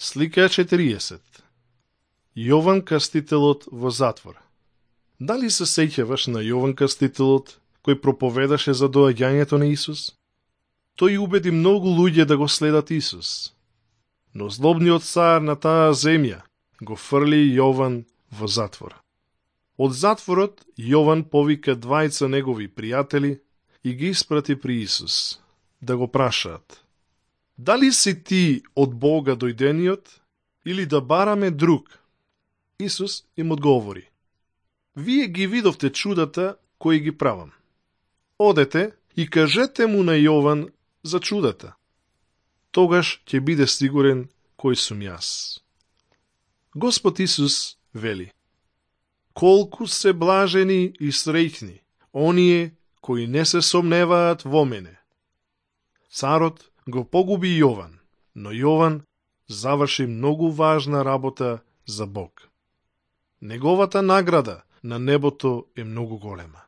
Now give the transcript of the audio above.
Слика 40. Јован Крстителот во затвор. Дали се сеќаваш на Јован Крстителот, кој проповедаше за доаѓањето на Исус? Тој убеди многу луѓе да го следат Исус. Но злобниот цар на таа земја го фрли Јован во затвор. Од затворот Јован повика двајца негови пријатели и ги испрати при Исус, да го прашаат: дали си ти од Бога дојдениот, или да бараме друг? Исус им одговори: вие ги видовте чудата кои ги правам. Одете и кажете му на Јован за чудата. Тогаш ќе биде сигурен кој сум јас. Господ Исус вели: колку се блажени и среќни оние кои не се сомневаат во мене. Царот го погуби Јован, но Јован заврши многу важна работа за Бог. Неговата награда на небото е многу голема.